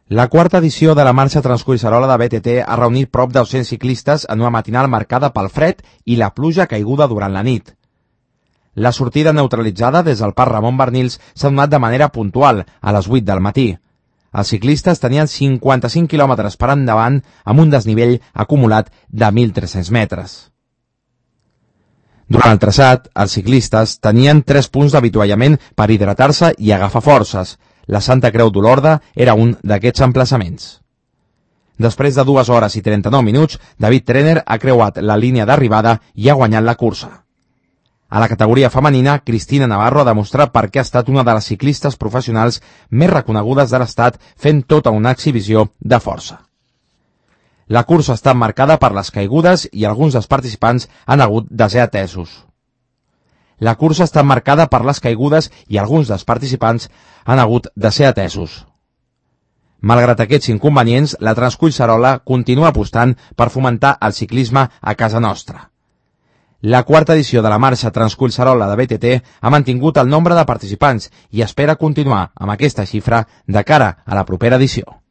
La quarta edició de la marxa Transcollserola de BTT ha reunit prop de 200 ciclistes en una matinal marcada pel fred i la pluja caiguda durant la nit. La sortida neutralitzada des del Parc Ramon Barnils s'ha donat de manera puntual, a les 8 del matí. Els ciclistes tenien 55 quilòmetres per endavant amb un desnivell acumulat de 1.300 metres. Durant el traçat, els ciclistes tenien 3 punts d'avituallament per hidratar-se i agafar forces. La Santa Creu d'Olorda era un d'aquests emplaçaments. Després de 2 hores i 39 minuts, David Trener ha creuat la línia d'arribada i ha guanyat la cursa. A la categoria femenina, Cristina Navarro ha demostrat per què ha estat una de les ciclistes professionals més reconegudes de l'estat fent tota una exhibició de força. La cursa ha estat marcada per les caigudes i alguns dels participants han hagut de ser atesos. La cursa ha estat marcada per les caigudes i alguns dels participants han hagut de ser atesos. Malgrat aquests inconvenients, la Transcollserola continua apostant per fomentar el ciclisme a casa nostra. La quarta edició de la marxa Transcollserola de BTT ha mantingut el nombre de participants i espera continuar amb aquesta xifra de cara a la propera edició.